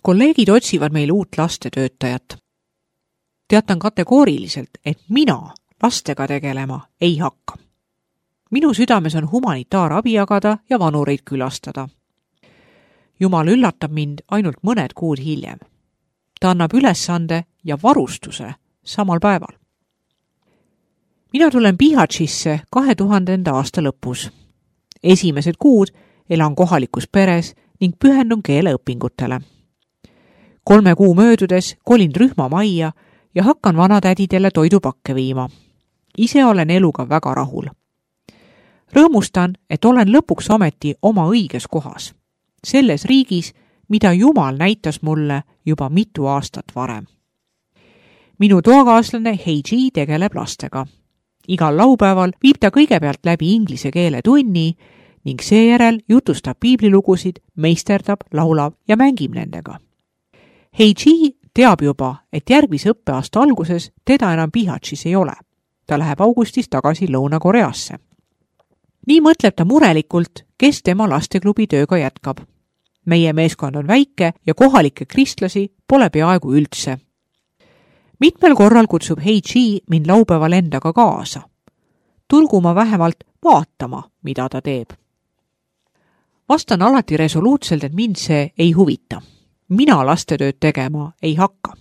Kolleegid otsivad meil uut lastetöötajat. Teatan kategooriliselt, et mina lastega tegelema ei hakka. Minu südames on humanitaarabi jagada ja vanureid külastada. Jumal üllatab mind ainult mõned kuud hiljem. Ta annab ülesande ja varustuse samal päeval. Mina tulen Bihaćisse 2000. aasta lõpus. Esimesed kuud elan kohalikus peres ning pühendun keeleõpingutele. 3 kuu möödudes kolin rühmamajja ja hakkan vanatädidele toidupakke viima. Ise olen eluga väga rahul. Rõõmustan, et olen lõpuks ometi oma õiges kohas. Selles riigis, mida Jumal näitas mulle juba mitu aastat varem. Minu toakaaslane Heiji tegeleb lastega. Igal laupäeval viib ta kõigepealt läbi inglise keele tunni ning seejärel jutustab piiblilugusid, meisterdab, laulab ja mängib nendega. Heiji teab juba, et järgmise õppeaasta alguses teda enam Bihaćis ei ole. Ta läheb augustis tagasi Lõuna-Koreasse. Nii mõtleb ta murelikult, kes tema lasteklubi tööga jätkab. Meie meeskond on väike ja kohalikke kristlasi pole peaaegu üldse. Mitmel korral kutsub Heiji mind laupäeval endaga kaasa. Tulgu ma vähemalt vaatama, mida ta teeb. Vastan alati resoluutselt, et mind see ei huvita. Mina lastetööd tegema ei hakka.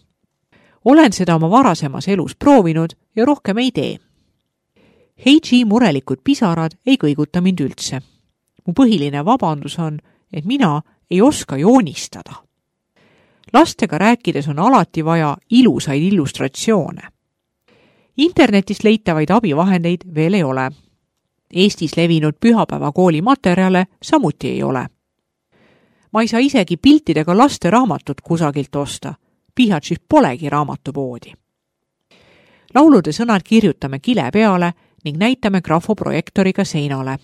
Olen seda oma varasemas elus proovinud ja rohkem ei tee. Heiji murelikud pisarad ei kõiguta mind üldse. Mu põhiline vabandus on, et mina ei oska joonistada. Lastega rääkides on alati vaja ilusaid illustratsioone. Internetist leitavaid abivahendeid veel ei ole. Eestis levinud pühapäevakooli materjale samuti ei ole. Ma ei saa isegi piltidega laste raamatut kusagilt osta. Bihaćis polegi raamatupoodi. Laulude sõnad kirjutame kile peale ning näitame grafoprojektoriga seinale.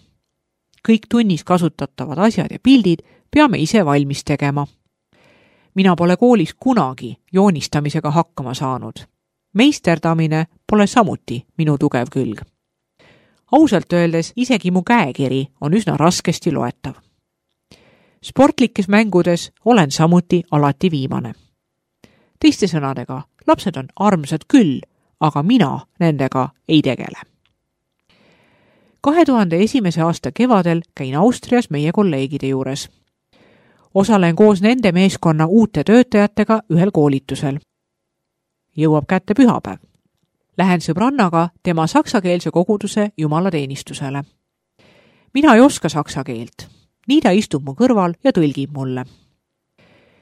Kõik tunnis kasutatavad asjad ja pildid peame ise valmis tegema. Mina pole koolis kunagi joonistamisega hakkama saanud. Meisterdamine pole samuti minu tugev külg. Ausalt öeldes isegi mu käekiri on üsna raskesti loetav. Sportlikes mängudes olen samuti alati viimane. Teiste sõnadega, lapsed on armsad küll, aga mina nendega ei tegele. 2001. aasta kevadel käin Austrias meie kolleegide juures. Osalen koos nende meeskonna uute töötajatega ühel koolitusel. Jõuab kätte pühapäev. Lähen sõbrannaga tema saksakeelse koguduse jumalateenistusele. Mina ei oska saksa keelt. Nii ta istub mu kõrval ja tõlgib mulle.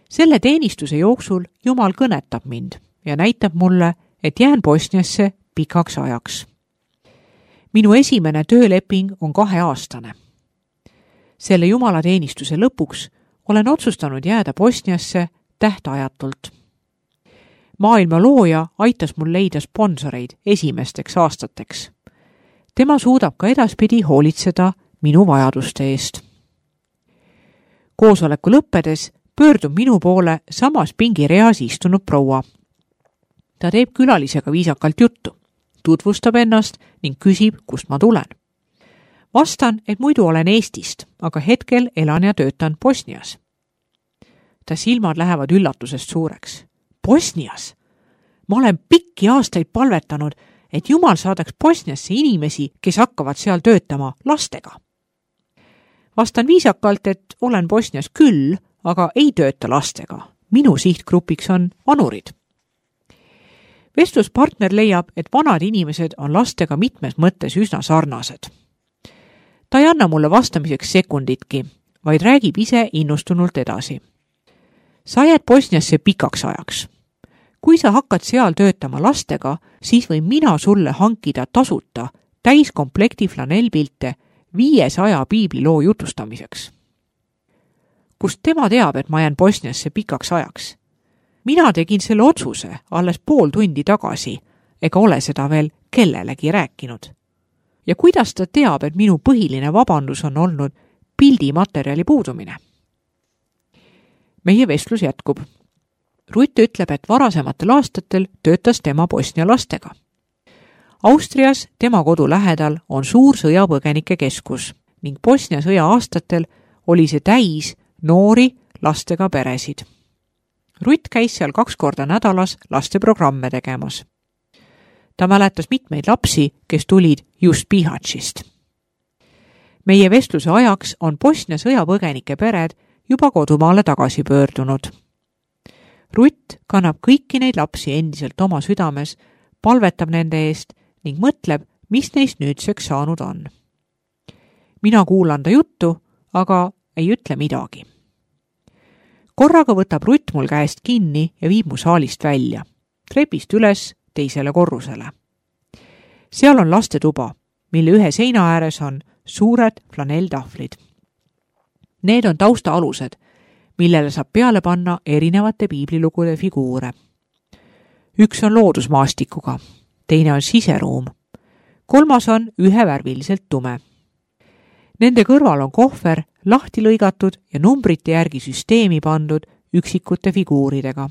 Selle teenistuse jooksul Jumal kõnetab mind ja näitab mulle, et jään Bosniasse pikaks ajaks. Minu esimene tööleping on 2-aastane. Selle jumalateenistuse lõpuks olen otsustanud jääda Bosniasse tähtajatult. Maailma looja aitas mul leida sponsoreid esimesteks aastateks. Tema suudab ka edaspidi hoolitseda minu vajaduste eest. Koosoleku lõppedes pöördub minu poole samas pingireas istunud proua. Ta teeb külalisega viisakalt juttu, tutvustab ennast ning küsib, kust ma tulen. Vastan, et muidu olen Eestist, aga hetkel elan ja töötan Bosnias. Ta silmad lähevad üllatusest suureks. Bosnias? Ma olen pikki aastaid palvetanud, et Jumal saadaks Bosniasse inimesi, kes hakkavad seal töötama lastega. Vastan viisakalt, et olen Bosnias küll, aga ei tööta lastega. Minu sihtgrupiks on vanurid. Vestluspartner leiab, et vanad inimesed on lastega mitmes mõttes üsna sarnased. Ta ei anna mulle vastamiseks sekunditki, vaid räägib ise innustunult edasi. Sa jääd Bosniasse pikaks ajaks. Kui sa hakkad seal töötama lastega, siis võin mina sulle hankida tasuta täiskomplekti flanellpilte 500 piibliloo jutustamiseks. Kust tema teab, et ma jään Bosniasse pikaks ajaks? Mina tegin selle otsuse alles pool tundi tagasi, ega ole seda veel kellelegi rääkinud. Ja kuidas ta teab, et minu põhiline vabandus on olnud pildimaterjali puudumine? Meie vestlus jätkub. Rutt ütleb, et varasematel aastatel töötas tema Bosnia lastega. Austrias tema kodu lähedal on suur sõjapõgenike keskus ning Bosnia sõja aastatel oli see täis noori lastega peresid. Rutt käis seal 2 korda nädalas lasteprogramme tegemas. Ta mäletas mitmeid lapsi, kes tulid just Bihaćist. Meie vestluse ajaks on Bosnia sõjapõgenike pered juba kodumaale tagasi pöördunud. Rutt kannab kõiki neid lapsi endiselt oma südames, palvetab nende eest ning mõtleb, mis neist nüüdseks saanud on. Mina kuulan ta juttu, aga ei ütle midagi. Korraga võtab Rutt mul käest kinni ja viib mu saalist välja, trepist üles teisele korrusele. Seal on lastetuba, mille ühe seina ääres on suured flanelltahvlid. Need on taustaalused, millele saab peale panna erinevate piiblilugude figuure. Üks on loodusmaastikuga, teine on siseruum, 3 on ühevärviliselt tume. Nende kõrval on kohver lahti lõigatud ja numbrite järgi süsteemi pandud üksikute figuuridega.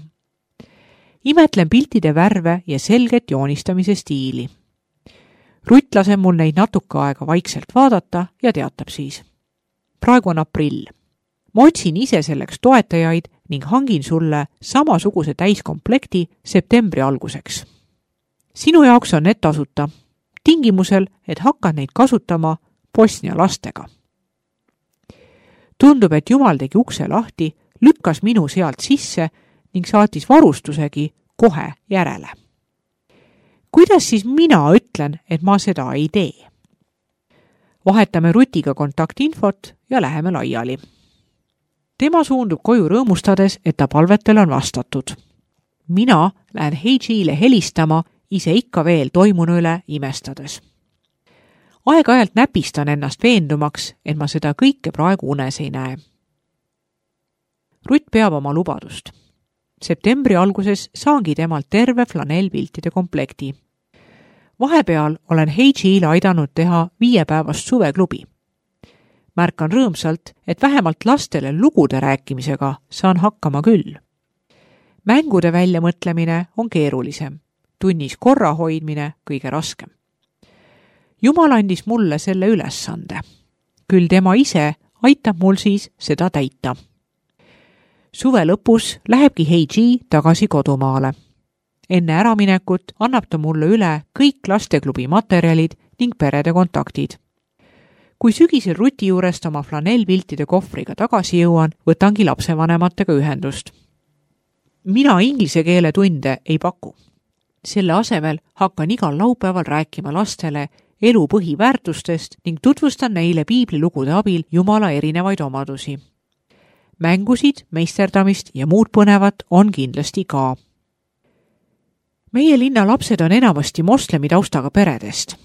Imetlen piltide värve ja selget joonistamise stiili. Rutt laseb mul neid natuke aega vaikselt vaadata ja teatab siis. Praegu on aprill. Ma otsin ise selleks toetajaid ning hangin sulle samasuguse täiskomplekti septembri alguseks. Sinu jaoks on need tasuta, tingimusel, et hakkad neid kasutama Bosnia lastega. Tundub, et Jumal tegi ukse lahti, lükkas minu sealt sisse ning saatis varustusegi kohe järele. Kuidas siis mina ütlen, et ma seda ei tee? Vahetame Rutiga kontaktinfot ja läheme laiali. Tema suundub koju rõõmustades, et ta palvetele on vastatud. Mina lähen Heidžiile helistama, ise ikka veel toimunu üle imestades. Aeg-ajalt näpistan ennast veendumaks, et ma seda kõike praegu unes ei näe. Rutt peab oma lubadust. Septembri alguses saangi temalt terve flanellpiltide komplekti. Vahepeal olen Heidžiile aidanud teha 5-päevast suveklubi. Märkan rõõmsalt, et vähemalt lastele lugude rääkimisega saan hakkama küll. Mängude väljamõtlemine on keerulisem, tunnis korra hoidmine kõige raskem. Jumal andis mulle selle ülesande. Küll tema ise aitab mul siis seda täita. Suve lõpus lähebki Heidži tagasi kodumaale. Enne äraminekut annab ta mulle üle kõik lasteklubi materjalid ning perede kontaktid. Kui sügisel Ruti juurest oma flanellpiltide kohvriga tagasi jõuan, võtangi lapsevanematega ühendust. Mina inglise keele tunde ei paku. Selle asemel hakkan igal laupäeval rääkima lastele elu põhiväärtustest ning tutvustan neile piiblilugude abil Jumala erinevaid omadusi. Mängusid, meisterdamist ja muud põnevat on kindlasti ka. Meie linna lapsed on enamasti moslemi taustaga peredest,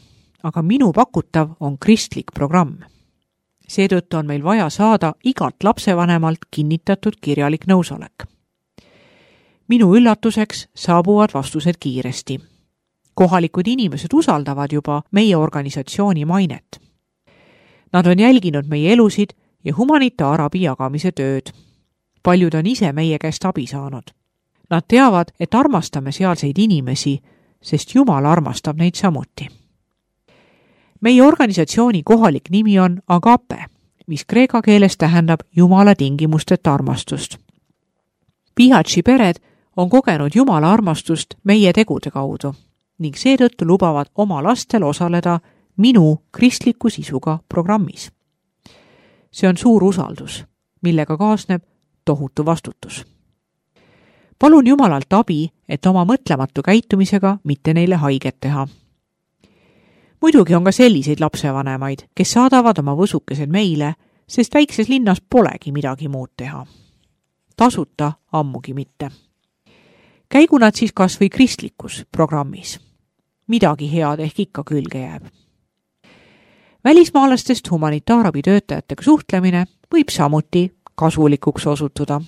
aga minu pakutav on kristlik programm. Seetõttu on meil vaja saada igalt lapsevanemalt kinnitatud kirjalik nõusolek. Minu üllatuseks saabuvad vastused kiiresti. Kohalikud inimesed usaldavad juba meie organisatsiooni mainet. Nad on jälginud meie elusid ja humanitaarabi jagamise tööd. Paljud on ise meie käest abi saanud. Nad teavad, et armastame sealseid inimesi, sest Jumal armastab neid samuti. Meie organisatsiooni kohalik nimi on Agape, mis kreeka keeles tähendab Jumala tingimusteta armastust. Bihaći pered on kogenud Jumala armastust meie tegude kaudu ning seetõttu lubavad oma lastel osaleda minu kristliku sisuga programmis. See on suur usaldus, millega kaasneb tohutu vastutus. Palun Jumalalt abi, et oma mõtlematu käitumisega mitte neile haiget teha. Muidugi on ka selliseid lapsevanemaid, kes saadavad oma võsukesed meile, sest väikses linnas polegi midagi muud teha. Tasuta ammugi mitte. Käigu nad siis kas või kristlikus programmis. Midagi head ehk ikka külge jääb. Välismaalastest humanitaarabi töötajatega suhtlemine võib samuti kasulikuks osutuda.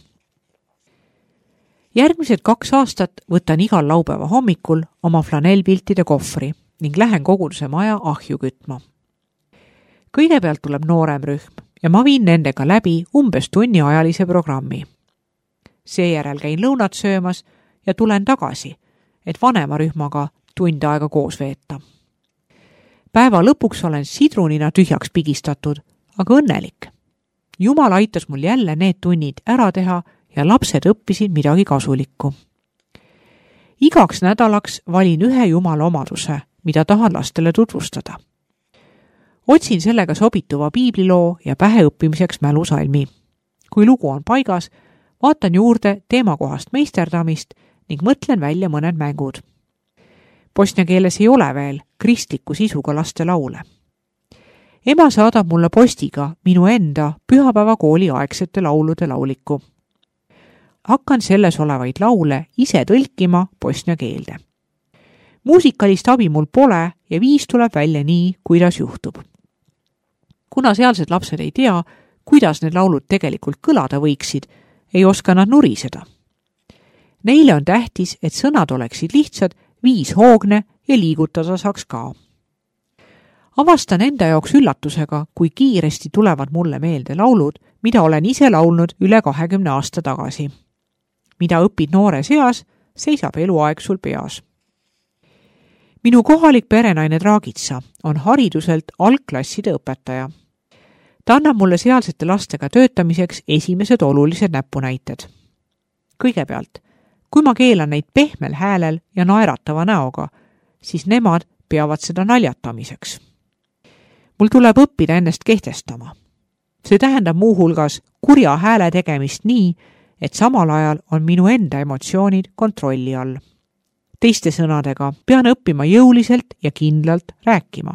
Järgmised 2 aastat võtan igal laupäeva hommikul oma flanellpiltide kohvri ning lähen koguduse maja ahju kütma. Kõigepealt tuleb noorem rühm ja ma viin nendega läbi umbes tunniajalise programmi. Seejärel käin lõunat söömas ja tulen tagasi, et vanema rühmaga tund aega koos veeta. Päeva lõpuks olen sidrunina tühjaks pigistatud, aga õnnelik. Jumal aitas mul jälle need tunnid ära teha ja lapsed õppisid midagi kasulikku. Igaks nädalaks valin ühe Jumala omaduse, mida tahan lastele tutvustada. Otsin sellega sobituva piibliloo ja päheõppimiseks mälusalmi. Kui lugu on paigas, vaatan juurde teemakohast meisterdamist ning mõtlen välja mõned mängud. Bosnia keeles ei ole veel kristliku sisuga laste laule. Ema saadab mulle postiga minu enda pühapäevakooli aegsete laulude lauliku. Hakkan selles olevaid laule ise tõlkima bosnia keelde. Muusikalist abi mul pole ja viis tuleb välja nii, kuidas juhtub. Kuna sealsed lapsed ei tea, kuidas need laulud tegelikult kõlada võiksid, ei oska nad nuriseda. Neile on tähtis, et sõnad oleksid lihtsad, viishoogne ja liigutada saaks ka. Avastan enda jaoks üllatusega, kui kiiresti tulevad mulle meelde laulud, mida olen ise laulnud üle 20 aasta tagasi. Mida õpid noore seas, seisab eluaeg sul peas. Minu kohalik perenaine Draagitsa on hariduselt algklasside õpetaja. Ta annab mulle sealsete lastega töötamiseks esimesed olulised näpunäited. Kõigepealt, kui ma keelan neid pehmel häälel ja naeratava näoga, siis nemad peavad seda naljatamiseks. Mul tuleb õppida ennast kehtestama. See tähendab muuhulgas kurja hääle tegemist nii, et samal ajal on minu enda emotsioonid kontrolli all. Teiste sõnadega pean õppima jõuliselt ja kindlalt rääkima,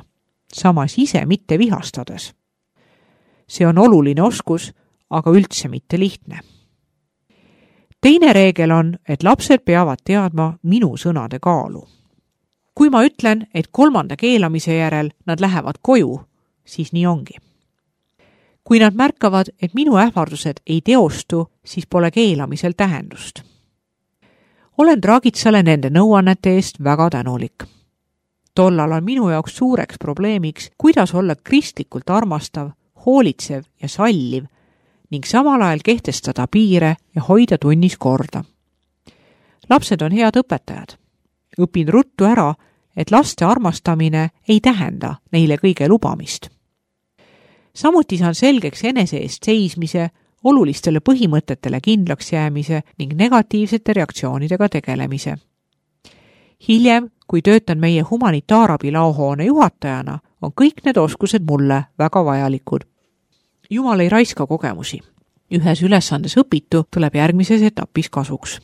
samas ise mitte vihastades. See on oluline oskus, aga üldse mitte lihtne. Teine reegel on, et lapsed peavad teadma minu sõnade kaalu. Kui ma ütlen, et 3. keelamise järel nad lähevad koju, siis nii ongi. Kui nad märkavad, et minu ähvardused ei teostu, siis pole keelamisel tähendust. Olen Draagitsale nende nõuannete eest väga tänulik. Tollal on minu jaoks suureks probleemiks, kuidas olla kristlikult armastav, hoolitsev ja salliv ning samal ajal kehtestada piire ja hoida tunnis korda. Lapsed on head õpetajad. Õpin ruttu ära, et laste armastamine ei tähenda neile kõige lubamist. Samuti saan selgeks enese eest seismise, olulistele põhimõtetele kindlaks jäämise ning negatiivsete reaktsioonidega tegelemise. Hiljem, kui töötan meie humanitaarabi laohoone juhatajana, on kõik need oskused mulle väga vajalikud. Jumal ei raiska kogemusi. Ühes ülesandes õpitu tuleb järgmises etapis kasuks.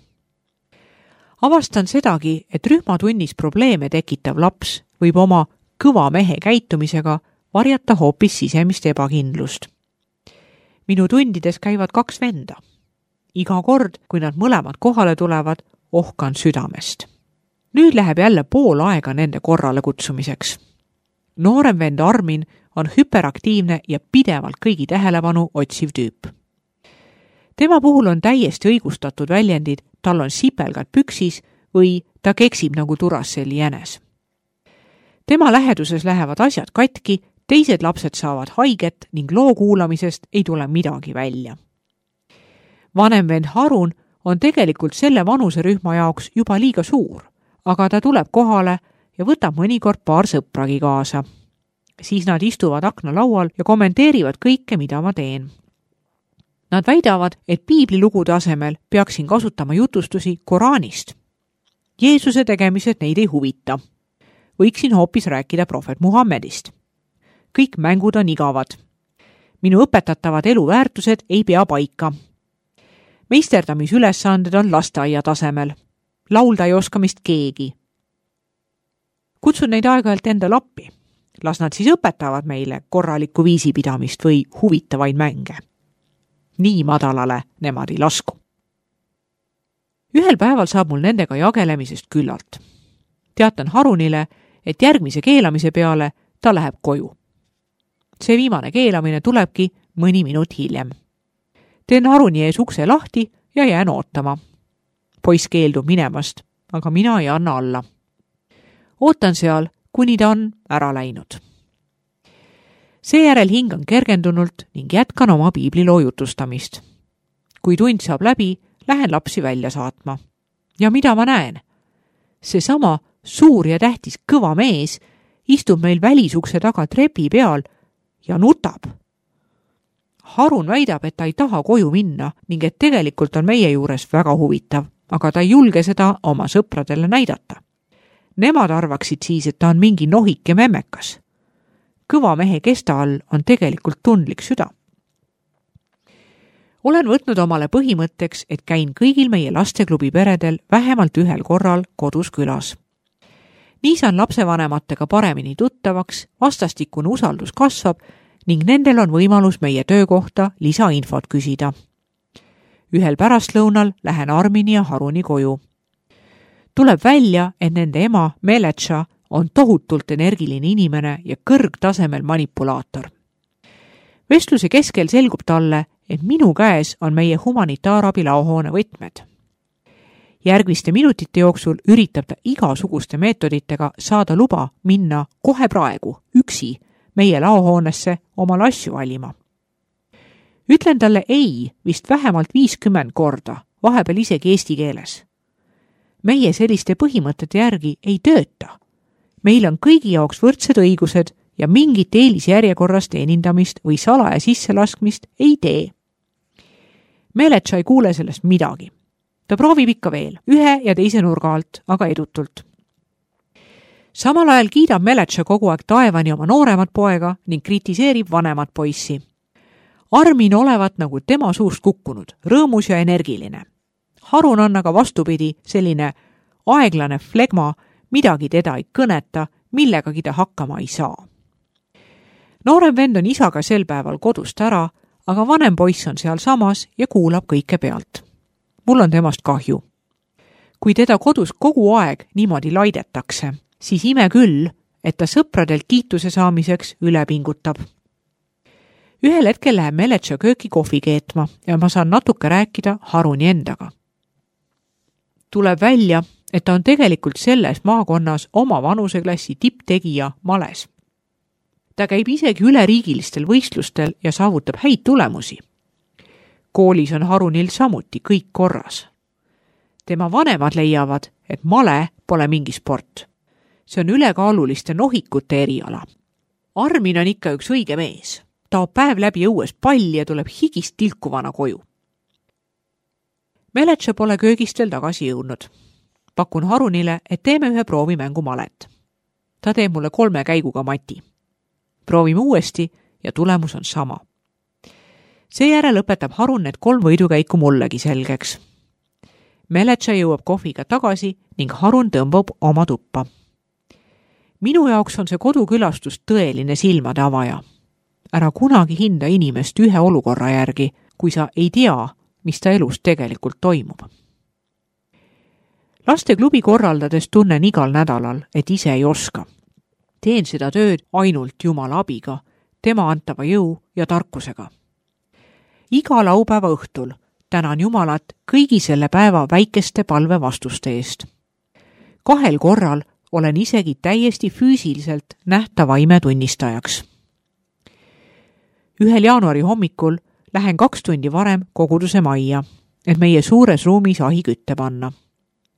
Avastan sedagi, et rühmatunnis probleeme tekitav laps võib oma kõva mehe käitumisega varjata hoopis sisemist ebakindlust. Minu tundides käivad 2 venda. Iga kord, kui nad mõlemad kohale tulevad, ohkan südamest. Nüüd läheb jälle pool aega nende korrale kutsumiseks. Noorem vend Armin on hüperaktiivne ja pidevalt kõigi tähelepanu otsiv tüüp. Tema puhul on täiesti õigustatud väljendid, tal on sipelgad püksis või ta keksib nagu Duracell'i jänes. Tema läheduses lähevad asjad katki, teised lapsed saavad haiget ning loo kuulamisest ei tule midagi välja. Vanem vend Harun on tegelikult selle vanuserühma jaoks juba liiga suur, aga ta tuleb kohale ja võtab mõnikord paar sõpragi kaasa. Siis nad istuvad aknalaual ja kommenteerivad kõike, mida ma teen. Nad väidavad, et piiblilugude asemel peaksin kasutama jutustusi Koraanist. Jeesuse tegemised neid ei huvita. Võiksin hoopis rääkida prohvet Muhammedist. Kõik mängud on igavad. Minu õpetatavad eluväärtused ei pea paika. Meisterdamisülesanded on lasteaia tasemel. Laulda ei oska mist keegi. Kutsun neid aeg-ajalt endale appi. Las nad siis õpetavad meile korralikku viisipidamist või huvitavaid mänge. Nii madalale nemad ei lasku. Ühel päeval saab mul nendega jagelemisest küllalt. Teatan Harunile, et järgmise keelamise peale ta läheb koju. See viimane keelamine tulebki mõni minut hiljem. Teen Haruni ees ukse lahti ja jään ootama. Poiss keeldub minemast, aga mina ei anna alla. Ootan seal, kuni ta on ära läinud. Seejärel hingan kergendunult ning jätkan oma piibliloo jutustamist. Kui tund saab läbi, lähen lapsi välja saatma. Ja mida ma näen? Seesama suur ja tähtis kõva mees istub meil välisukse taga trepi peal ja nutab. Harun väidab, et ta ei taha koju minna ning et tegelikult on meie juures väga huvitav, aga ta ei julge seda oma sõpradele näidata. Nemad arvaksid siis, et ta on mingi nohike memmekas. Kõva mehe kesta all on tegelikult tundlik süda. Olen võtnud omale põhimõtteks, et käin kõigil meie lasteklubi peredel vähemalt ühel korral kodus külas. Nii saan lapsevanematega paremini tuttavaks, vastastikune usaldus kasvab ning nendel on võimalus meie töökohta lisainfot küsida. Ühel pärastlõunal lähen Armini ja Haruni koju. Tuleb välja, et nende ema Meletša on tohutult energiline inimene ja kõrgtasemel manipulaator. Vestluse keskel selgub talle, et minu käes on meie humanitaarabi laohoone võtmed. Järgmiste minutite jooksul üritab ta igasuguste meetoditega saada luba minna kohe praegu üksi meie laohoonesse oma asju valima. Ütlen talle ei vist vähemalt 50 korda, vahepeal isegi eesti keeles. Meie selliste põhimõtete järgi ei tööta. Meil on kõigi jaoks võrdsed õigused ja mingit eelisjärjekorras teenindamist või salaja sisselaskmist ei tee. Meletša ei kuule sellest midagi. Ta proovib ikka veel, ühe ja teise nurga alt, aga edutult. Samal ajal kiidab Meletša kogu aeg taevani oma nooremat poega ning kritiseerib vanemat poissi. Armin olevat nagu tema suust kukkunud, rõõmus ja energiline. Harun on aga vastupidi selline aeglane flegma, midagi teda ei kõneta, millegagi ta hakkama ei saa. Noorem vend on isaga sel päeval kodust ära, aga vanem poiss on seal samas ja kuulab kõike pealt. Mul on temast kahju. Kui teda kodus kogu aeg niimoodi laidetakse, siis ime küll, et ta sõpradelt kiituse saamiseks üle pingutab. Ühel hetkel läheb Meletša kööki kohvi keetma ja ma saan natuke rääkida Haruni endaga. Tuleb välja, et ta on tegelikult selles maakonnas oma vanuseklassi tipptegija males. Ta käib isegi üleriigilistel võistlustel ja saavutab häid tulemusi. Koolis on Harunil samuti kõik korras. Tema vanemad leiavad, et male pole mingi sport. See on ülekaaluliste nohikute eriala. Armin on ikka üks õige mees. Taob päev läbi õues palli ja tuleb higist tilkuvana koju. Meletša pole köögist veel tagasi jõudnud. Pakun Harunile, et teeme ühe proovimängu malet. Ta teeb mulle 3 käiguga mati. Proovime uuesti ja tulemus on sama. Seejärel õpetab Harun need 3 võidukäiku mullegi selgeks. Meletša jõuab kohviga tagasi ning Harun tõmbab oma tuppa. Minu jaoks on see kodukülastus tõeline silmade avaja. Ära kunagi hinda inimest ühe olukorra järgi, kui sa ei tea, mis ta elus tegelikult toimub. Lasteklubi korraldades tunnen igal nädalal, et ise ei oska. Teen seda tööd ainult Jumala abiga, tema antava jõu ja tarkusega. Iga laupäeva õhtul tänan Jumalat kõigi selle päeva väikeste palvevastuste eest. 2 korral olen isegi täiesti füüsiliselt nähtava ime tunnistajaks. 1. jaanuari hommikul lähen 2 tundi varem koguduse majja, et meie suures ruumis ahi kütte panna.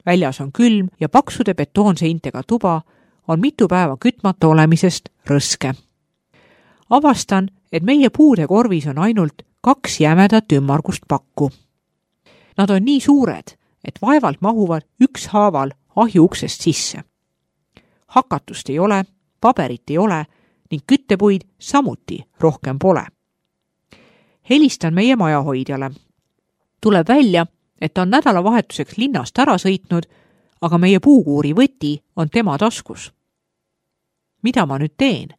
Väljas on külm ja paksude betoonseintega tuba on mitu päeva kütmata olemisest rõske. Avastan, et meie puude korvis on ainult 2 jämedat ümmargust pakku. Nad on nii suured, et vaevalt mahuvad ükshaaval ahju uksest sisse. Hakatust ei ole, paberit ei ole ning küttepuid samuti rohkem pole. Helistan meie majahoidjale. Tuleb välja, et ta on nädalavahetuseks linnast ära sõitnud, aga meie puukuuri võti on tema taskus. Mida ma nüüd teen?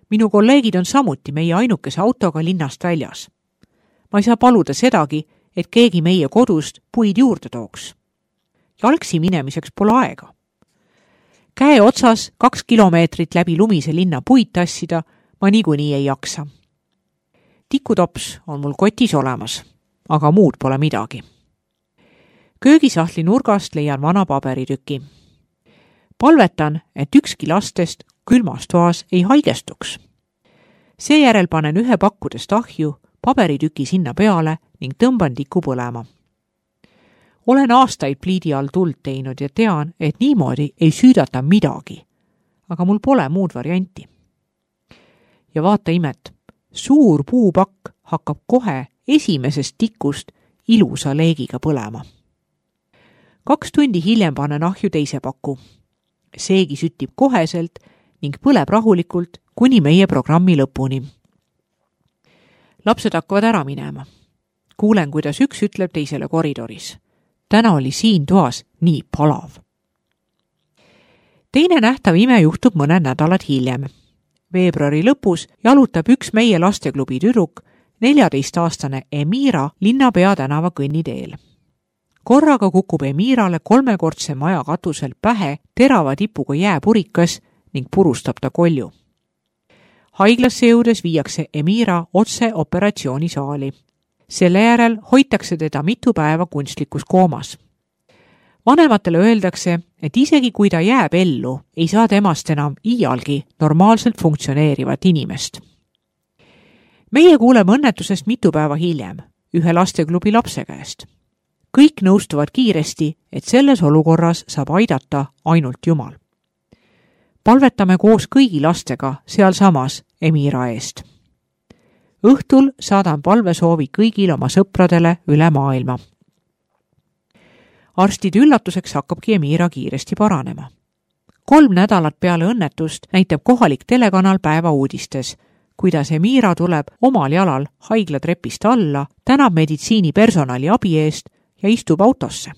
Minu kolleegid on samuti meie ainukese autoga linnast väljas. Ma ei saa paluda sedagi, et keegi meie kodust puid juurde tooks. Jalgsi minemiseks pole aega. Käe otsas 2 kilomeetrit läbi lumise linna puid tassida ma niikuinii ei jaksa. Tikutops on mul kotis olemas, aga muud pole midagi. Köögisahtli nurgast leian vana paberitüki. Palvetan, et ükski lastest külmas toas ei haigestuks. Seejärel panen 1 pakkudest ahju, paberitüki sinna peale ning tõmban tiku põlema. Olen aastaid pliidi all tuld teinud ja tean, et niimoodi ei süüdata midagi, aga mul pole muud varianti. Ja vaata imet, suur puupakk hakkab kohe esimesest tikust ilusa leegiga põlema. 2 tundi hiljem panen ahju teise paku. Seegi süttib koheselt ning põleb rahulikult kuni meie programmi lõpuni. Lapsed hakkavad ära minema. Kuulen, kuidas üks ütleb teisele koridoris. Täna oli siin toas nii palav. Teine nähtav ime juhtub mõned nädalad hiljem. Veebruari lõpus jalutab üks meie lasteklubi tüdruk, 14-aastane Emira Linnapea tänava kõnniteel. Korraga kukub Emirale 3-kordse maja katusel pähe terava tipuga jääpurikas ning purustab ta kolju. Haiglasse jõudes viiakse Emira otse operatsioonisaali. Selle järel hoitakse teda mitu päeva kunstlikus koomas. Vanematele öeldakse, et isegi kui ta jääb ellu, ei saa temast enam iialgi normaalselt funktsioneerivat inimest. Meie kuuleme õnnetusest mitu päeva hiljem, ühe lasteklubi lapse käest. Kõik nõustuvad kiiresti, et selles olukorras saab aidata ainult Jumal. Palvetame koos kõigi lastega sealsamas Emira eest. Õhtul saadan palvesoovi kõigil oma sõpradele üle maailma. Arstide üllatuseks hakkabki Emira kiiresti paranema. 3 nädalat peale õnnetust näitab kohalik telekanal päeva uudistes, kuidas Emira tuleb omal jalal haiglatrepist alla, tänab meditsiinipersonali abi eest ja istub autosse.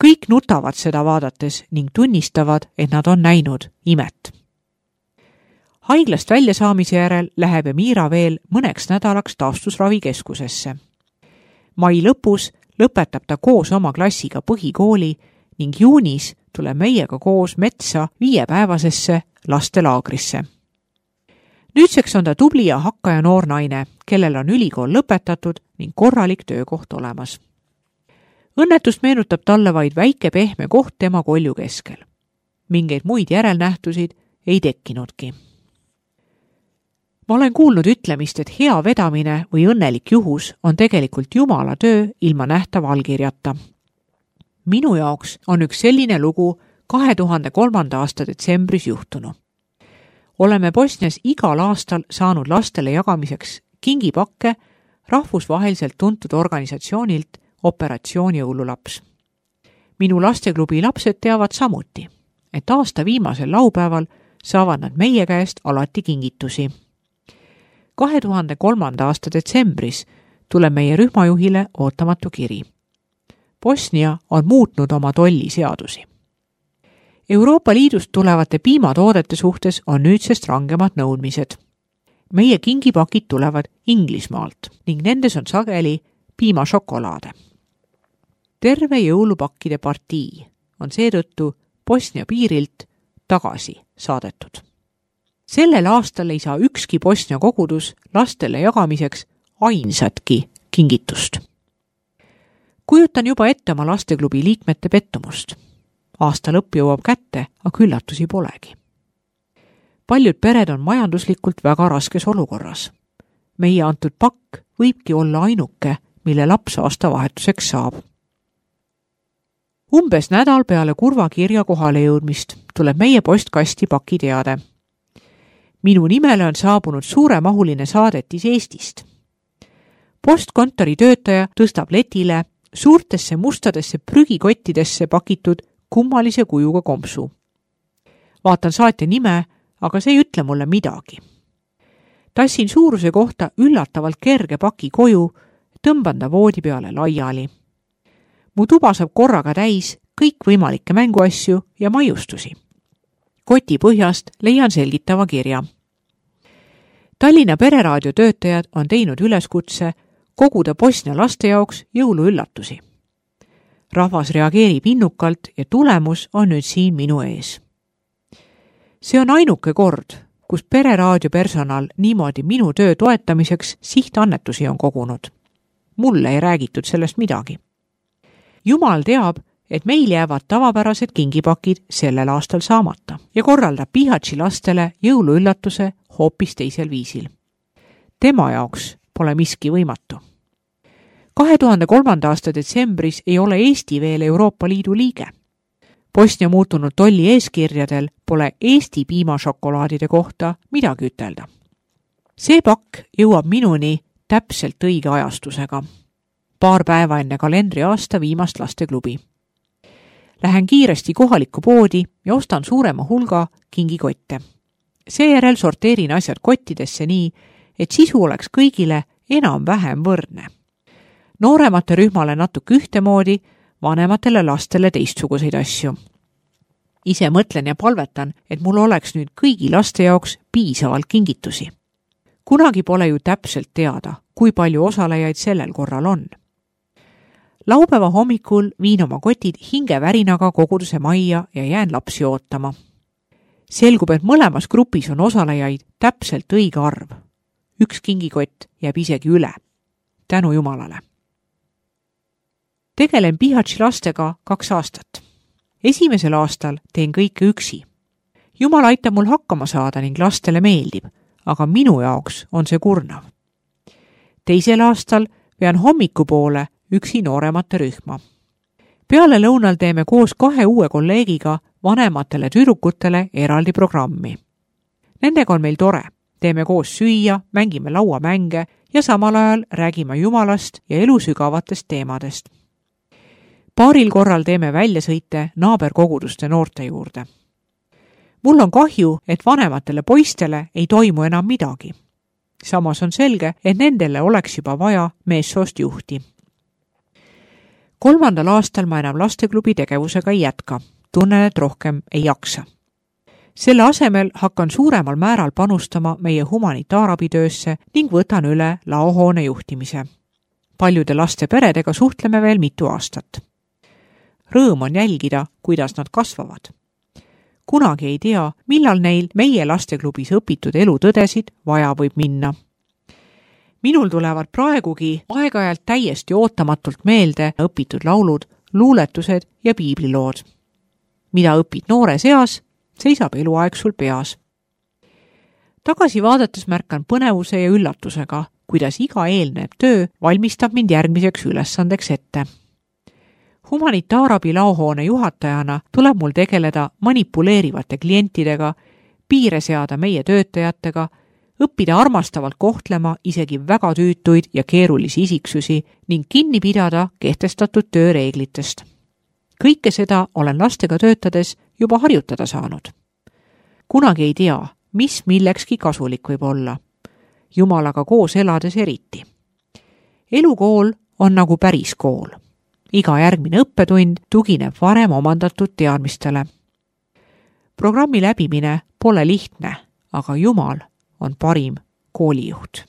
Kõik nutavad seda vaadates ning tunnistavad, et nad on näinud imet. Haiglast välja saamise järel läheb Emira veel mõneks nädalaks taastusravikeskusesse. Mai lõpus lõpetab ta koos oma klassiga põhikooli ning juunis tuleb meiega koos metsa 5-päevasesse lastelaagrisse. Nüüdseks on ta tubli ja hakkaja noor naine, kellel on ülikool lõpetatud ning korralik töökoht olemas. Õnnetust meenutab talle vaid väike pehme koht tema kolju keskel. Mingeid muid järelnähtusid ei tekkinudki. Ma olen kuulnud ütlemist, et hea vedamine või õnnelik juhus on tegelikult Jumala töö ilma nähtava allkirjata. Minu jaoks on üks selline lugu 2003. aasta detsembris juhtunu. Oleme Bosnias igal aastal saanud lastele jagamiseks kingipakke rahvusvaheliselt tuntud organisatsioonilt Operatsioon Jõululaps. Minu lasteklubi lapsed teavad samuti, et aasta viimasel laupäeval saavad nad meie käest alati kingitusi. 2003. aasta detsembris tuleb meie rühmajuhile ootamatu kiri. Bosnia on muutnud oma tolliseadusi. Euroopa Liidust tulevate piimatoodete suhtes on nüüdsest rangemad nõudmised. Meie kingipakid tulevad Inglismaalt ning nendes on sageli piimašokolaade. Terve jõulupakkide partii on seetõttu Bosnia piirilt tagasi saadetud. Sellel aastal ei saa ükski Bosnia kogudus lastele jagamiseks ainsatki kingitust. Kujutan juba ette oma lasteklubi liikmete pettumust. Aasta lõpp jõuab kätte, aga üllatusi polegi. Paljud pered on majanduslikult väga raskes olukorras. Meie antud pakk võibki olla ainuke, mille laps aastavahetuseks saab. Umbes nädal peale kurva kirja kohale jõudmist tuleb meie postkasti pakiteade. Minu nimele on saabunud suuremahuline saadetis Eestist. Postkontori töötaja tõstab letile suurtesse mustadesse prügikottidesse pakitud kummalise kujuga kompsu. Vaatan saatja nime, aga see ei ütle mulle midagi. Tassin suuruse kohta üllatavalt kerge paki koju, tõmban ta voodi peale laiali. Mu tuba saab korraga täis kõikvõimalikke mänguasju ja maiustusi. Koti põhjast leian selgitava kirja. Tallinna pereraadio töötajad on teinud üleskutse koguda Bosnia laste jaoks jõuluüllatusi. Rahvas reageerib innukalt ja tulemus on nüüd siin minu ees. See on ainuke kord, kus pereraadio personal niimoodi minu töö toetamiseks sihtannetusi on kogunud. Mulle ei räägitud sellest midagi. Jumal teab, et meil jäävad tavapärased kingipakid sellel aastal saamata ja korraldab Pihatši lastele jõuluüllatuse hoopis teisel viisil. Tema jaoks pole miski võimatu. 2003. aasta detsembris ei ole Eesti veel Euroopa Liidu liige. Bosnia muutunud tolli eeskirjadel pole Eesti piimašokolaadide kohta midagi ütelda. See pakk jõuab minuni täpselt õige ajastusega. Paar päeva enne kalendriaasta viimast lasteklubi. Lähen kiiresti kohalikku poodi ja ostan suurema hulga kingikotte. Seejärel sorteerin asjad kottidesse nii, et sisu oleks kõigile enam-vähem võrdne. Nooremate rühmale natuke ühtemoodi, vanematele lastele teistsuguseid asju. Ise mõtlen ja palvetan, et mul oleks nüüd kõigi laste jaoks piisavalt kingitusi. Kunagi pole ju täpselt teada, kui palju osalejaid sellel korral on. Laupäeva hommikul viin oma kotid hingevärinaga koguduse majja ja jään lapsi ootama. Selgub, et mõlemas grupis on osalejaid täpselt õige arv. Üks kingikott jääb isegi üle. Tänu Jumalale. Tegelen Pihatši lastega 2 aastat. Esimesel aastal teen kõike üksi. Jumal aitab mul hakkama saada ning lastele meeldib, aga minu jaoks on see kurnav. Teisel aastal vean hommikupoole üksi nooremate rühma. Peale lõunal teeme koos 2 uue kolleegiga vanematele tüdrukutele eraldi programmi. Nendega on meil tore. Teeme koos süüa, mängime lauamänge ja samal ajal räägime Jumalast ja elusügavatest teemadest. Paaril korral teeme väljasõite naaberkoguduste noorte juurde. Mul on kahju, et vanematele poistele ei toimu enam midagi. Samas on selge, et nendele oleks juba vaja meessoost juhti. 3. aastal ma enam lasteklubi tegevusega ei jätka. Tunnen, et rohkem ei jaksa. Selle asemel hakkan suuremal määral panustama meie humanitaarabitöösse ning võtan üle laohoone juhtimise. Paljude laste peredega suhtleme veel mitu aastat. Rõõm on jälgida, kuidas nad kasvavad. Kunagi ei tea, millal neil meie lasteklubis õpitud elutõdesid vaja võib minna. Minul tulevad praegugi aeg-ajalt täiesti ootamatult meelde õpitud laulud, luuletused ja piiblilood. Mida õpid noores eas, seisab eluaeg sul peas. Tagasi vaadates märkan põnevuse ja üllatusega, kuidas iga eelnev töö valmistab mind järgmiseks ülesandeks ette. Humanitaarabi laohoone juhatajana tuleb mul tegeleda manipuleerivate klientidega, piire seada meie töötajatega, õppida armastavalt kohtlema isegi väga tüütuid ja keerulisi isiksusi ning kinni pidada kehtestatud tööreeglitest. Kõike seda olen lastega töötades juba harjutada saanud. Kunagi ei tea, mis millekski kasulik võib olla. Jumalaga koos elades eriti. Elukool on nagu päris kool. Iga järgmine õppetund tugineb varem omandatud teadmistele. Programmi läbimine pole lihtne, aga Jumal on parim koolijuht.